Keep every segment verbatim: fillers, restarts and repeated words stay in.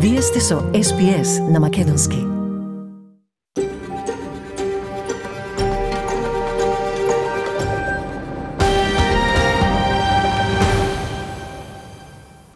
Вие сте со Ес Би Ес на Македонски.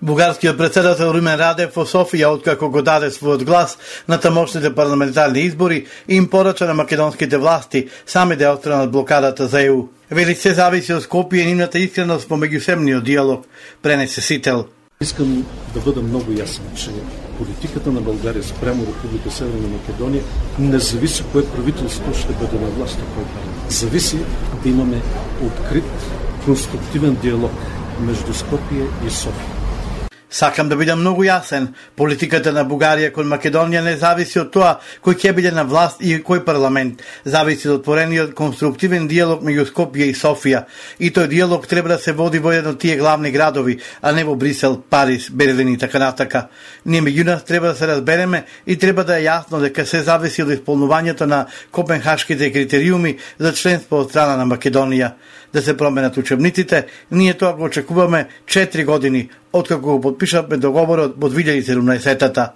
Бугарскиот председател Румен Радев во Софија, откако го даде својот глас на тамошните парламентарни избори, им порача на македонските власти сами да отстранат блокадата за Е У. Вели се зависи од Скопје и нивната искреност по меѓусемниот диалог, пренесе Сител. Искам да бъдам много ясен, че политиката на България спрямо Република Северна Македония не зависи кое правителство ще бъде на власт, кой парламент. Зависи да имаме открит, конструктивен диалог между Скопје и Софија. Сакам да бидам многу јасен. Политиката на Бугарија кон Македонија не зависи од тоа кој ќе биде на власт и кој парламент. Зависи од отворениот конструктивен диалог меѓу Скопје и Софија. И тој диалог треба да се води во еден од тие главни градови, а не во Брисел, Париз, Берлин и така натака. Ние меѓу нас треба да се разбереме и треба да е јасно дека се зависи од исполнувањето на копенхашките критериуми за членство од страна на Македонија. Да се променат учебниците, ние тоа го очекуваме четири години, откако го подпишавме договорот во две илјади и седумнаесетта.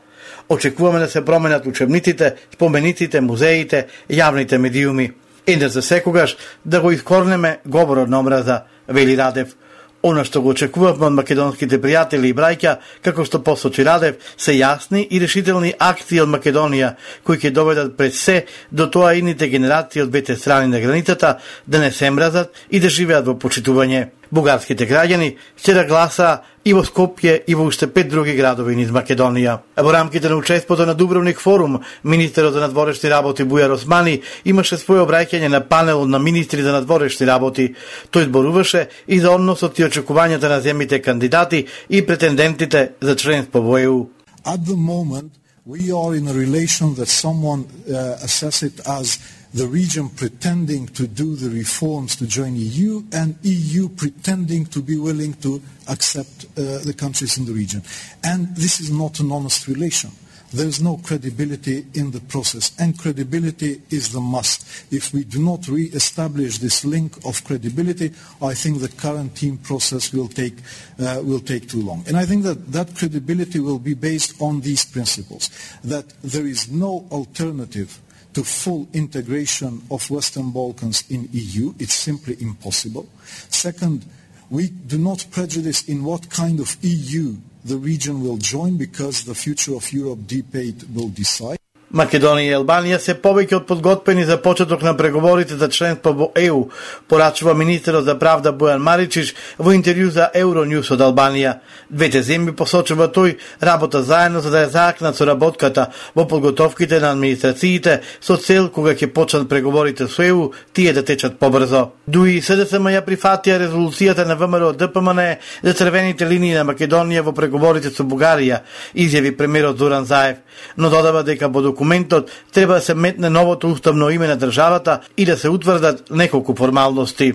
Очекуваме да се променат учебниците, спомениците, музеите, јавните медиуми. И да за секогаш да го искорнеме говорот на омраза, вели Радев. Она што го очекувавме од македонските пријатели и браќа, како што посочи Радев, се јасни и решителни акции од Македонија, кои ќе доведат пред се до тоа идните генерации од двете страни на границата да не се мразат и да живеат во почитување. Бугарските граѓани ќе да гласаа и во Скопје и во уште пет други градови низ Македонија. Во рамките на учеството на Дубровник форум, министерот за надворешни работи Бујар Османи имаше своје обраќање на панел на министри за надворешни работи. Тој зборуваше и за односот и очекувањата на земјите кандидати и претендентите за членство во Е У. At the moment, we are in a relation that someone uh, assess it as the region pretending to do the reforms to join E U and E U pretending to be willing to accept uh, the countries in the region. And this is not an honest relation. There is no credibility in the process, and credibility is the must. If we do not re-establish this link of credibility, I think the current team process will take uh, will take too long. And I think that that credibility will be based on these principles, that there is no alternative to full integration of Western Balkans in E U. It's simply impossible. Second, we do not prejudice in what kind of E U the region will join, because the future of Europe debate will decide. Македонија и Албанија се повеќе од подготвени за почеток на преговорите за членство во Е У, порачува министерот за правда Бојан Маричич во интервју за Евроньюс од Албанија. Двете земји, посочува тој, работа заедно за да ја заакнат соработката во подготовките на администрациите со цел кога ќе почнат преговорите со Е У, тие да течат побрзо. Дуи С Д С М ја прифатија резолуцијата на Вэ М Р Д П М Н за црвените линии на Македонија во преговорите со Бугарија, изјави премиерот Зоран Заев, но додава дека во документот треба да се метне новото уставно име на државата и да се утврдат неколку формалности.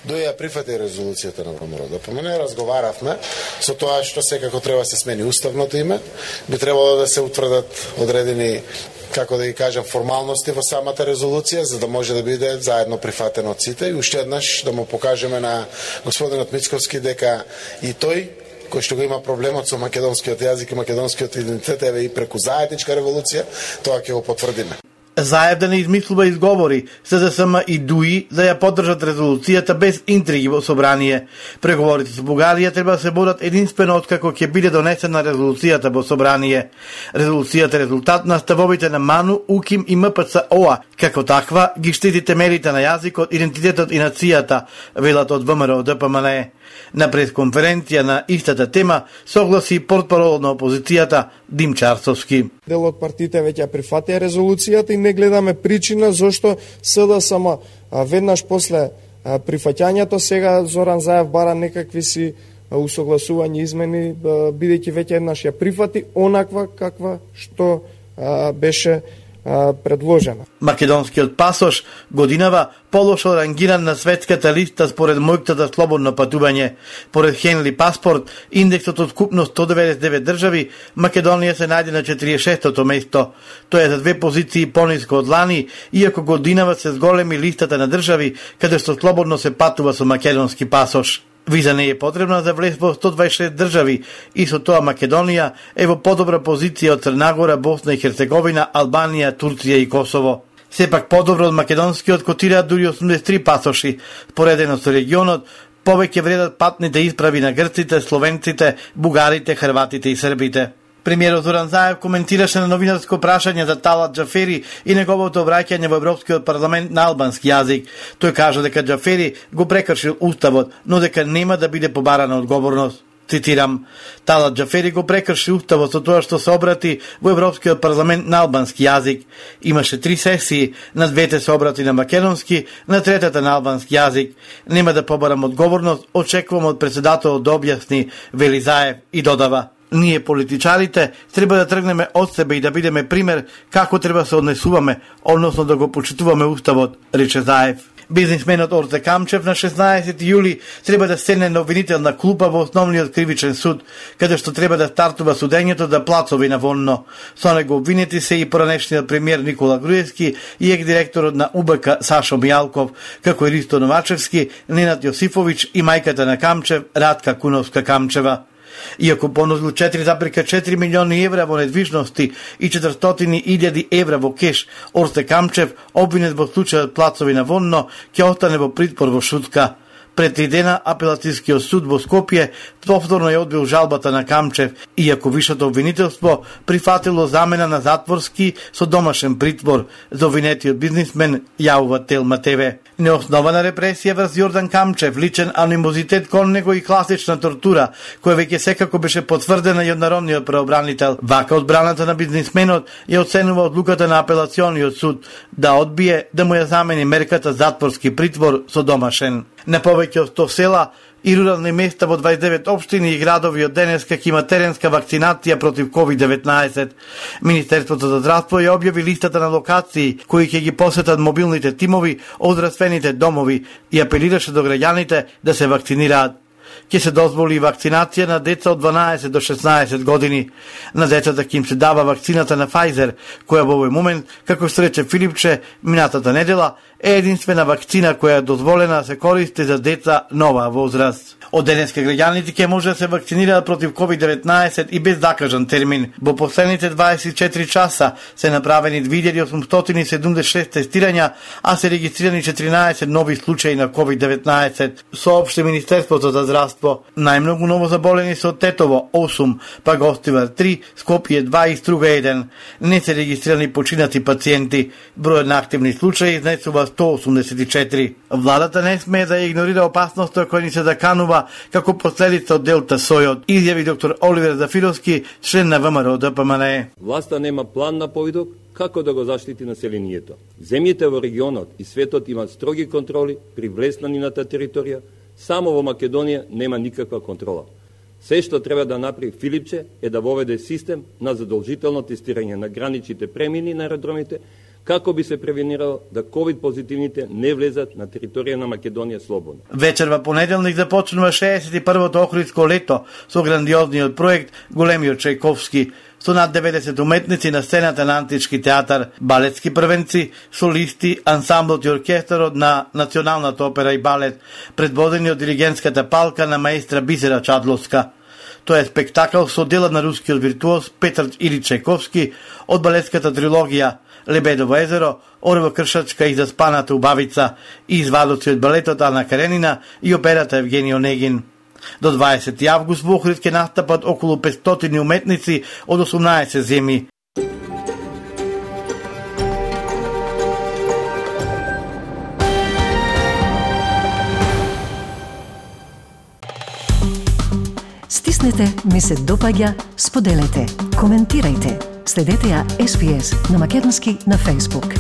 До ја прифати резолуцијата на Вэ М Р Д П М Н, разговаравме со тоа што секако треба да се смени уставното име, би требало да се утврдат одредени, како да ги кажам, формалности во самата резолуција, за да може да биде заедно прифатено од сите и уште еднаш да му покажеме на господинот Мицковски дека и тој кој што го има проблемот со македонскиот јазик и македонскиот идентитет, еве и преку заедничка револуција, тоа ќе го потврдиме. Заев да не измислува изговори, С Д С М и Дуи да ја поддржат резолуцијата без интриги во собрание. Преговорите со Бугарија треба да се водат единствено откако ќе биде донесена резолуцијата во собрание. Резолуцијата е резултат на ставовите на МАНУ, УКИМ и М П Ц О А. Како таква ги штити темелите на јазикот, идентитетот и нацијата, велат од Вэ М Р Д П М Н. На пресконференција на истата тема согласи портпарол на опозицијата Дим Чарсовски. Дел од партиите веќе прифатија резолуцијата и не гледаме причина зошто С Д С М веднаш после прифаќањето сега Зоран Заев бара некакви си усогласувања измени, бидејќи веќе еднаш ја прифати онаква каква што беше предложена. Македонскиот пасош годинава полошо рангиран на светската листа според мојката за слободно патување. Поред Хенли паспорт, индексот од купно сто деветдесет и девет држави, Македонија се најде на четиридесет и шестото место. Тоа е за две позиции пониско од лани, иако годинава се зголеми листата на држави каде што слободно се патува со македонски пасош. Виза не е потребна за влез во сто дваесет и шест држави и со тоа Македонија е во подобра позиција од Црна Гора, Босна и Херцеговина, Албанија, Турција и Косово. Сепак подобро од македонскиот котираат дури осумдесет и три пасоши. Поредено со регионот, повеќе вредат патните исправи на грците, словенците, бугарите, хрватите и србите. Премиерот Зоран Заев коментираше на новинарско прашање за Талат Џафери и неговото враќање во Европскиот парламент на албански јазик. Тој кажа дека Џафери го прекршил уставот, но дека нема да биде побарана одговорност. Цитирам: Талат Џафери го прекрши уставот со тоа што се обрати во Европскиот парламент на албански јазик. Имаше три сесии, на двете се обрати на македонски, на третата на албански јазик. Нема да побарам одговорност, очекувам од председателот да објасни, вели Заев и додава: ние политичарите треба да тргнеме од себе и да бидеме пример како треба се однесуваме, односно да го почитуваме уставот, рече Заев. Бизнисменот Орте Камчев на шеснаесети јули треба да седне на обвинителна клупа во основниот кривичен суд, каде што треба да стартува судењето за плацови на Вонно. Со него обвинети се и поранешниот премиер Никола Груевски и ек-директорот на У Б К Сашо Мијалков, како и Ристо Новачевски, Ненад Јосифовиќ и мајката на Камчев, Радка Куновска Камчева. Иако понудил четири зарез и четири милиони евра во недвижности и четиристотини илјади евра во кеш, Орте Камчев, обвинет во случајот плацови на Вонно, ќе остане во притвор во Шутка. Пред три дена апелатискиот суд во Скопје повторно ја одбил жалбата на Камчев, иако вишето обвинителство прифатило замена на затворски со домашен притвор за обвинетиот бизнисмен, јавува Телма Т В. Неоснована репресија врз Јордан Камчев, личен анимозитет кон него и класична тортура, која веќе секако беше потврдена и од народниот преобранител. Вака одбраната на бизнисменот ја оценува одлуката на апелациониот суд да одбие да му ја замени мерката затворски притвор со домашен. На повеќе од сто села и рурални места во дваесет и девет општини и градови од денеска ќе има теренска вакцинација против ковид деветнаесет. Министерството за здравство ја објави листата на локации кои ќе ги посетат мобилните тимови од здравствените домови и апелираше до граѓаните да се вакцинираат. Ќе се дозволи вакцинација на деца од дванаесет до шеснаесет години. На децата ќе им се дава вакцината на Pfizer, која во овој момент, како што рече Филипче минатата недела, е единствена вакцина која е дозволена да се користи за деца на оваа возраст. Од денеска граѓаните ќе може да се вакцинираат против ковид деветнаесет и без закажан термин. Во последните дваесет и четири часа се направени две илјади осумстотини седумдесет и шест тестирања, а се регистрирани четиринаесет нови случаи на ковид деветнаесет. Соопшти Министерството за здравство. Најмногу ново заболени се од Тетово осум, па Гостивар три, Скопје два и Струга еден. Не се регистрирани починати пациенти. Бројот на активни случаи изнесува сто осумдесет и четири. Владата не смее да игнорира опасноста која ни се заканува како последица од делта сојот, изјави доктор Оливер Зафировски, член на В М Р Д П М Н Е. Власта нема план на повидок како да го заштити населението. Земјите во регионот и светот имаат строги контроли при влез на нината територија, само во Македонија нема никаква контрола. Се што треба да направи Филипче е да воведе систем на задолжително тестирање на граничните премини на аеродромите, како би се превенирало да ковид позитивните не влезат на територија на Македонија слободно. Вечер во понеделник започнува шеесет и првото Охридско лето со грандиозниот проект Големиот Чајковски, со над деветдесет уметници на сцената на Антички театар, балетски првенци, солисти, ансамблот и оркестарот на Националната опера и балет, предводени од диригентската палка на маестра Бисера Чадловска. Тоа е спектакл со дела на рускиот виртуоз Петар Илич Чајковски од балетската трилогија Лебедово езеро, Орова кршачка и Заспаната убавица и извадоци од балетот Ана Каренина и операта Евгени Онегин. До дваесети август во Охрид ќе настапат околу петстотини уметници од осумнаесет земји. Стиснете, ми се допаѓа, споделете, коментирајте. Следете ја С Б С на македонски на Facebook.